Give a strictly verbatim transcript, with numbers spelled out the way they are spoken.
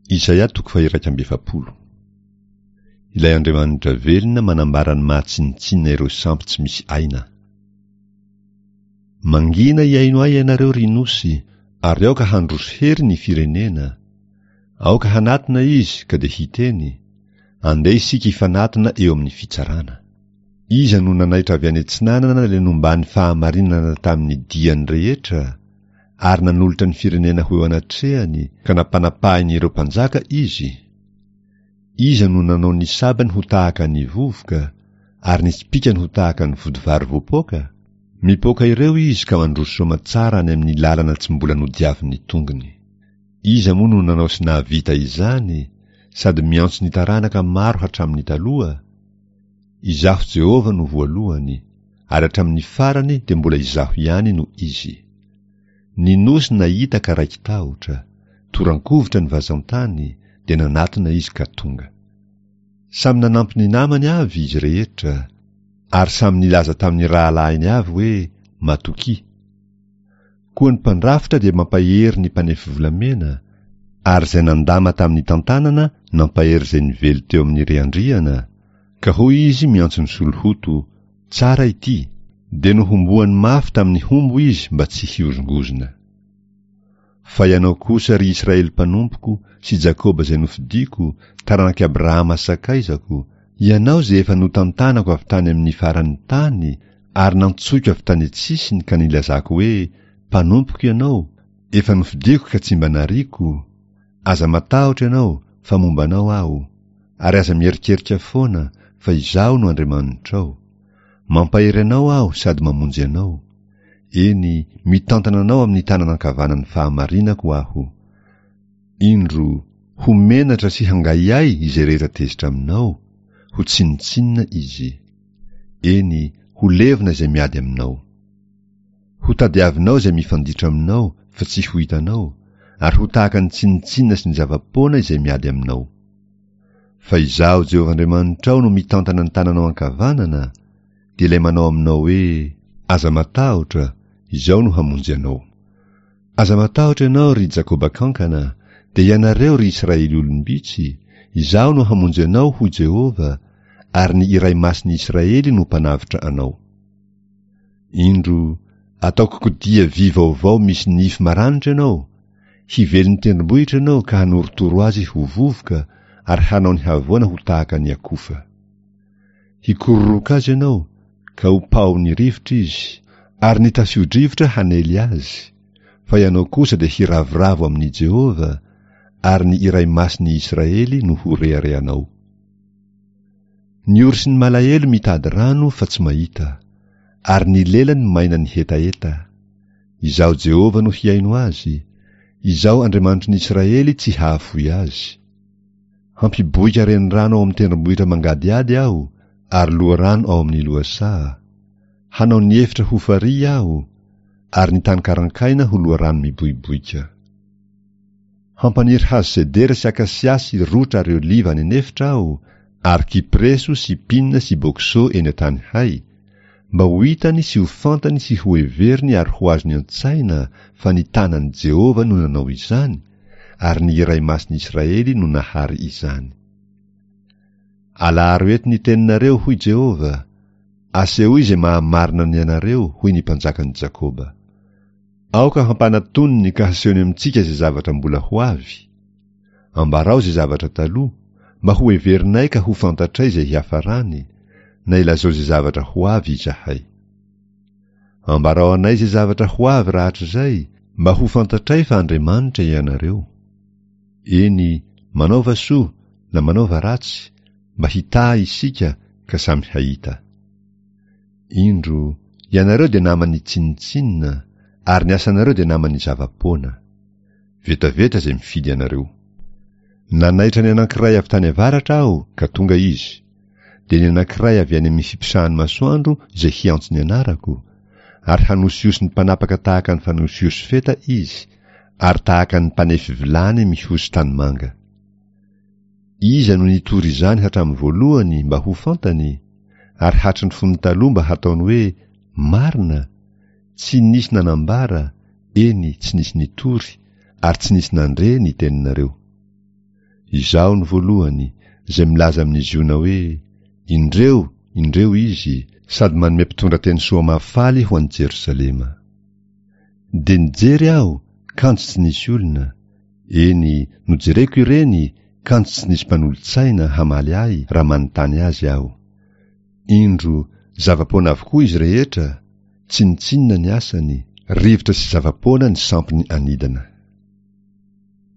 Isaia toko faha-iraika amby efapolo. Ilay Andriamanitra velona manambara ny maha tsinontsinona ireo sampy tsy misy aina. Mangina hihaino ahy ianareo ry nosy, ary aoka handroso hery ny firenena. Aoka hanatona izy ka dia hiteny, andeha isika hifanatona eo amin'ny fitsarana. Iza no nanaitra avy any atsinanana ilay nomban'ny fahamarinana tamin'ny diany rehetra, ary nanolotra ny firenena ho eo anatrehany ka nampanapahin'ireo mpanjaka izy? Iza no nanao ny sabany ho tahaka ny vovoka, ary ny tsipikany ho tahaka ny vodivary voapoaka? Mipoaka ireo izy ka mandroso soamatsara any amin'ny lalana tsy mbola nodiavin'ny tongony. Iza moa no nanao sy nahavita izany, sady miantso ny taranaka maro hatramin'ny taloha? Izaho Jehovah no voalohany, ary hatramin'ny farany dia mbola izaho ihany no izy. Ny nosy nahita ka raiki-tahotra, toran-kovitra ny vazantany, dia nanatona izy ka tonga. Samy nanampy ny namany avy izy rehetra, ary samy nilaza tamin'ny rahalahiny avy hoe matokia. Koa ny mpandrafitra dia mampahery ny mpanefy volamena, ary izay nandama tamin'ny tantanana nampahery izay nively teo amin'ny riandriana, ka hoy izy miantso ny solohoto, tsara ity, dia nohomboany mafy tamin'ny hombo izy mba tsy hiozongozona. Fa ianao kosa ry Israely mpanompoko sy Jakoba izay nofidiko, taranak'i Abrahama sakaizako, ianao izay efa notantanako avy tany amin'ny faran'ny tany ary nantsoiko avy tany an-tsisiny ka nilazako hoe mpanompoko ianao, efa nofidiko ka tsy mba nariako, aza matahotra ianao fa momba anao aho, ary aza mierikerika foana fa izaho no Andriamanitrao. Mampahery anao aho sady mamonjy anao. Eny, mitantana anao amin'ny tanana ankavanan'ny fahamarinako aho. Indro, ho menatra sy hangahiahy izay rehetra tezitra aminao, ho tsinontsinona izy. Eny, ho levona izay miady aminao. Ho tadiavinao izay mifanditra aminao fa tsy ho hitanao, ary ho tahaka ny tsinontsinona sy ny zava-poana izay miady aminao. Fa izaho Jehovah Andriamanitrao no mitantana ny tananao ankavanana, dia ilay manao aminao hoe aza matahotra, izao no hamonjy anao. Aza matahotra ianao ry Jakoba kankana, dia ianareo ry Israely olom-bitsy, izaho no hamonjy anao hoy Jehovah, ary ny iray masin'ny Israely no mpanavotra anao. Indro, ataoko kodia vy vaovao misy nify maranitra ianao, hively ny tendrombohitra ianao ka hanorotoro azy ho vovoka ary hanao ny havoana ho tahaka ny akofa. Hikororoka azy ianao, ka ho paon'ny rivotra izy, ary ny tafio-drivotra hanely azy, fa ianao kosa dia hiravoravo amin'i Jehovah, ary ny iray masin'ny Israely no ho reharehanao. Ny ory sy ny malahelo mitady rano fa tsy mahita, ary ny lelany maina ny hetaheta. Izaho Jehovah no hihaino azy, izaho Andriamanitry ny Israely tsy hahafoy azy. Hampiboika renirano ao amin'ny tendrombohitra mangadihady aho, ary loharano ao amin'ny lohasaha. Hanao ny efitra ho farihy aho, ary ny tany karankaina ho loharano miboiboika. Hampaniry hazo sedera sy akasia sy rotra ary oliva any an'efitra aho, ary kypreso sy pina sy bokso eny an-tany hay, mba ho hitany sy ho fantany sy ho heveriny ary ho azony an-tsaina fa ny tanan'i Jehovah no nanao izany, ary ny iray masin'ny Israely no nahary izany. Alaharo eto ny teninareo, hoy Jehovah, asehoy izay mahamarina ny anareo, hoy ny mpanjakan'i Jakoba. Aoka hampanatoniny ka hasehony amintsika izay zavatra mbola ho avy. Ambarao izay zavatra taloha, mba ho heverinay ka ho fantatray izay hiafarany, na ilazao izay zavatra ho avy izahay. Ambarao anay izay zavatra ho avy rahatrizay, mba ho fantatray fa Andriamanitra ianareo. Eny, manaova soa na manaova ratsy, mba hitaha isika ka samy hahita. Indro, ianareo dia naman'ny tsinontsinona, ary ny asanareo dia naman'ny zava-poana. Vetaveta izay mifidy anareo. Nanaitra ny anankiray avy tany avaratra aho ka tonga izy, dia ny anankiray avy any amin'ny fiposahan'ny masoandro izay hiantso ny anarako, ary hanosihosy ny mpanapaka tahaka ny fanosihosy feta izy, ary tahaka ny mpanefy vilany mihosy tanimanga. Iza no nitory izany hatramin'ny voalohany mba ho fantany, ary hatry ny fony taloha mba hataony hoe marina? Tsy nisy nanambara, eny tsy nisy nitory, ary tsy nisy nandre ny teninareo. Izaho no voalohany, izay milaza amin'i Ziona hoe, Indreo, indreo izy, sady manome mpitondra teny soa mahafaly ho an'i Jerosalema. Dia nijery aho, kanjo tsy nisy olona, eny, nojereko ireny, kanjo tsy nisy mpanolo-tsaina hamaly ahy raha manontany azy aho. Indro, zava-poana avokoa izy rehetra, tsinontsinona ny asany, rivotra sy zava-poana ny sampiny anidina.